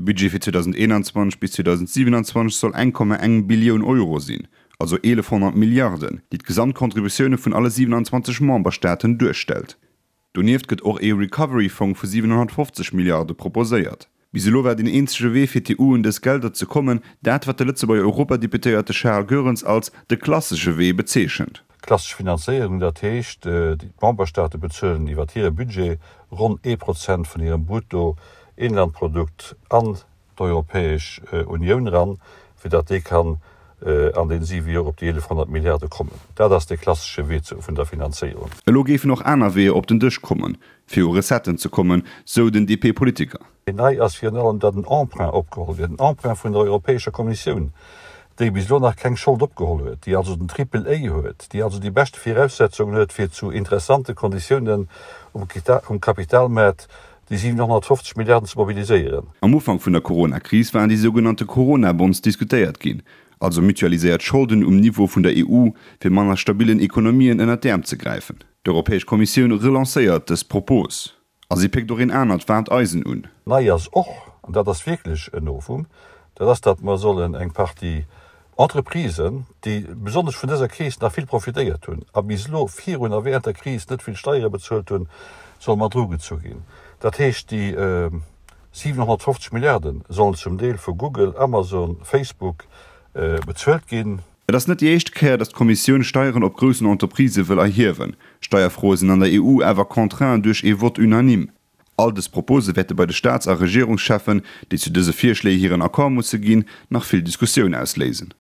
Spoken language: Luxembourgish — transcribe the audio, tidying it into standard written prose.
Budget fir 2021 bis 2027 soll 1,1 Billioun Euro sinn, also 1.100 Milliarden, déi d'Gesamtcontributioune vun alle 27 Memberstaaten duerstellt. Donieft gëtt och ee Recovery-Fong vu 750 Milliarde proposéiert. Bis elo war deen eenzege Wee fir d'EU un dës Gelder ze kommen, dat wat de Lëtzebuerger Europadeputéierte Charles Goerens als de klassesche Wee bezeechent. Klassesch Finanzéierung, dat heescht, d'Memberstaate bezuelen iwwer hire Budget ronn ee Prozent vun hirem Bruttoinlandprodukt an d'Europäesch Unioun eran, fir datt déi kann an den siwe Joer op déi 1.100 Milliarde kommen. Dat ass dee klassesche Wee vun der Finanzéierung. Elo géifen och aner Weeër op den Dësch kommen, fir u Recetten ze kommen, sou den DP-Politiker. Nei ass virun allem, datt en Emprunt opgeholl gëtt, en Emprunt vun der Europäescher Kommissioun, déi bis elo nach keng Schold opgeholl huet, déi also den Triple A huet, déi also déi beschte Viraussetzungen huet, fir zu interessante Konditiounen um Kapitalmaart déi 750 Milliarden ze mobiliséieren. Am Ufank vun der Corona-Kris waren déi sougenannte Corona-Bonds diskutéiert ginn, also mutualiséiert Scholden um Niveau vun der EU, fir manner stabillen Ekonomien ënnert d'Äerm ze gräifen. D'Europäesch Kommissioun relancéiert dës Propos a si péckt och een anert waarmt Eisen un. Nei ass och, an dat ass wierklech en Novum, dat ass, datt mer sollen eng Partie Entreprisen, déi besonnesch vun dëser Kris nach vill profitéiert hunn a bis elo virun a während der Kris net vill Steiere bezuelt hunn, solle mat erugezu ginn. Dat heescht, déi 750 Milliarde sollen zum Deel vu Google, Amazon, Facebook bezuelt ginn. Et ass net déi éischt Kéier, datt d'Kommissioun Steieren op groussen Entreprisë wëll erhiewen. Steierfroe sinn an der EU awer contraint duerch ee Vote unanime. All dës Propose wäerte bei de Staats a Regierungscheffen, déi zu dëse Virschléi hiren Accord musse ginn, nach vill Diskussioun ausléisen.